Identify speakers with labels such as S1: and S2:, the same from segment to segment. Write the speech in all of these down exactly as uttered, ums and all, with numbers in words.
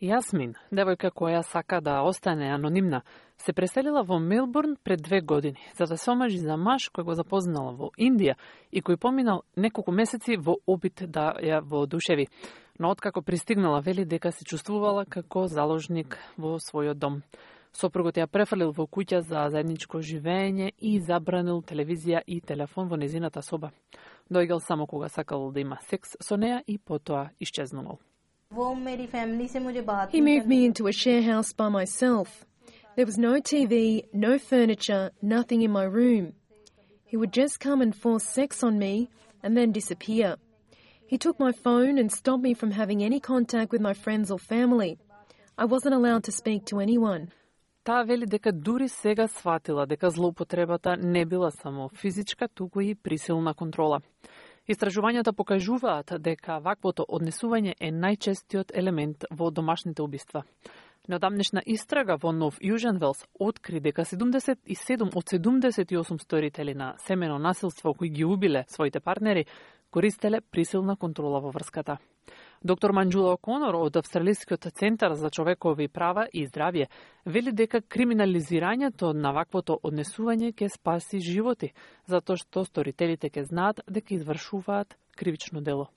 S1: Јасмин, девојка која сака да остане анонимна, се преселила во Мелбурн пред две години, за да се омажи за маж кој го запознала во Индија и кој поминал неколку месеци во обид да ја воодушеви. Но откако пристигнала, вели дека се чувствувала како заложник во својот дом. Сопругот ја префрлил во куќа за заедничко живење и забранил телевизија и телефон во незината соба. Дојгал само кога сакал да има секс со неа и потоа исчезнувал.
S2: He moved me into a share house by myself. There was no T V, no furniture, nothing in my room. He would just come and force sex on me and then disappear. He took my phone and stopped me from having any contact with my friends or family. I wasn't allowed to speak to anyone.
S1: Таа вели дека дури сега сватила дека злоупотребата не била само физичка, туку и присилна контрола. Истражувањата покажуваат дека ваквото однесување е најчестиот елемент во домашните убиства. Неодамнешна истрага во Нов Јужен Велс откри дека седумдесет и седум од седумдесет и осум сторители на семено насилство кои ги убиле своите партнери користеле присилна контрола во врската. Доктор Манџула О'Конор од Австралискиот центар за човекови права и здравје вели дека криминализирањето на ваквото однесување ќе спаси животи, затоа што сторителите ќе знаат дека извршуваат кривично дело.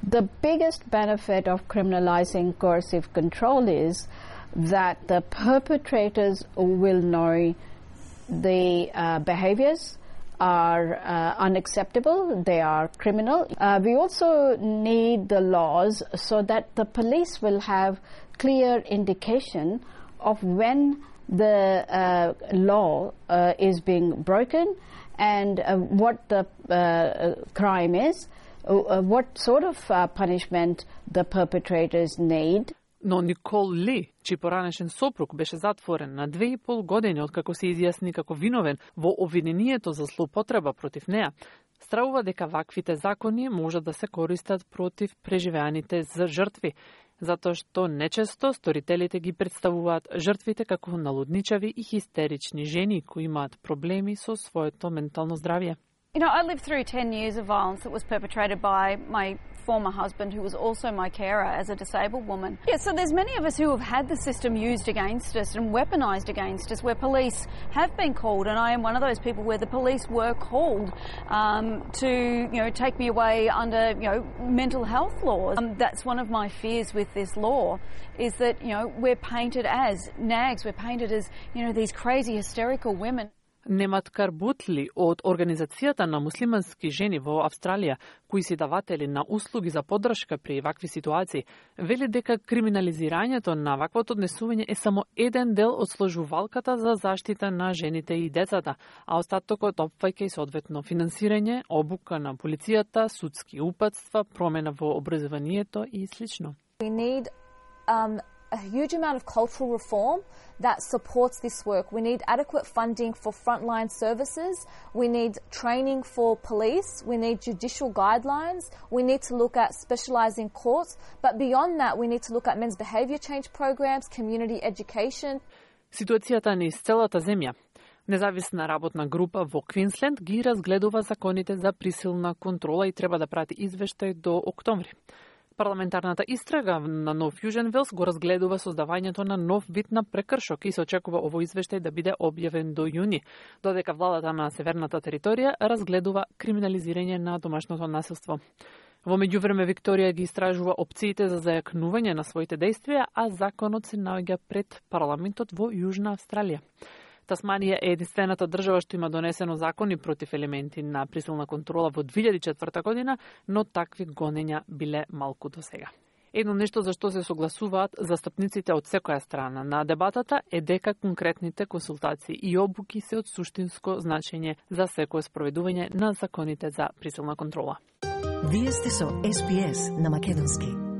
S3: The biggest benefit of criminalizing coercive control is that the perpetrators will know the uh, behaviors are uh, unacceptable, they are criminal. Uh, we also need the laws so that the police will have clear indication of when the uh, law uh, is being broken and uh, what the uh, crime is, uh, what sort of uh, punishment the perpetrators need.
S1: Но Никол Ли, чиј поранешен сопруг беше затворен на две и пол години откако се изјасни како виновен во обвинението за злоупотреба против неа, стравува дека ваквите закони можат да се користат против преживеаните за жртви, затоа што нечесто сторителите ги представуваат жртвите како налудничави и хистерични жени кои имаат проблеми со своето ментално здравје.
S4: You know, I lived through ten years of violence that was perpetrated by my former husband, who was also my carer as a disabled woman. Yeah, so there's many of us who have had the system used against us and weaponised against us, where police have been called, and I am one of those people where the police were called um, to, you know, take me away under, you know, mental health laws. Um, that's one of my fears with this law, is that, you know, we're painted as nags, we're painted as, you know, these crazy hysterical women.
S1: Немат Карбутли од Организацијата на муслимански жени во Австралија, кои си даватели на услуги за поддршка при вакви ситуации, вели дека криминализирањето на ваквото однесување е само еден дел од сложувалката за заштита на жените и децата, а остатокот опфаќа и соодветно финансирање, обука на полицијата, судски упатства, промена во образованието и слично.
S5: We need um, a huge amount of cultural reform that supports this work. We need adequate funding for frontline services. We need training for police. We need judicial guidelines. We need to look at specialising courts. But beyond that, we need to look at men's behaviour change programs, community education.
S1: Ситуацијата низ целата земја. Независна работна група во Квинсленд ги разгледува законите за присилна контрола и треба да прати извештај до октомври. Парламентарната истрага на Нов Јужен Велс го разгледува создавањето на нов вид на прекршок и се очекува овој извештај да биде објавен до јуни, додека владата на Северната територија разгледува криминализирање на домашното насилство. Во меѓувреме Викторија ги истражува опциите за зајакнување на своите дејствија, а законот се наоѓа пред парламентот во Јужна Австралија. Тасманија е единствената држава што има донесено закони против елементи на присилна контрола во две илјади и четврта година, но такви гонења биле малку до сега. Едно нешто за што се согласуваат застапниците од секоја страна на дебатата е дека конкретните консултации и обуки се од суштинско значење за секое спроведување на законите за присилна контрола.
S6: Вие сте со Ес Би Ес на македонски.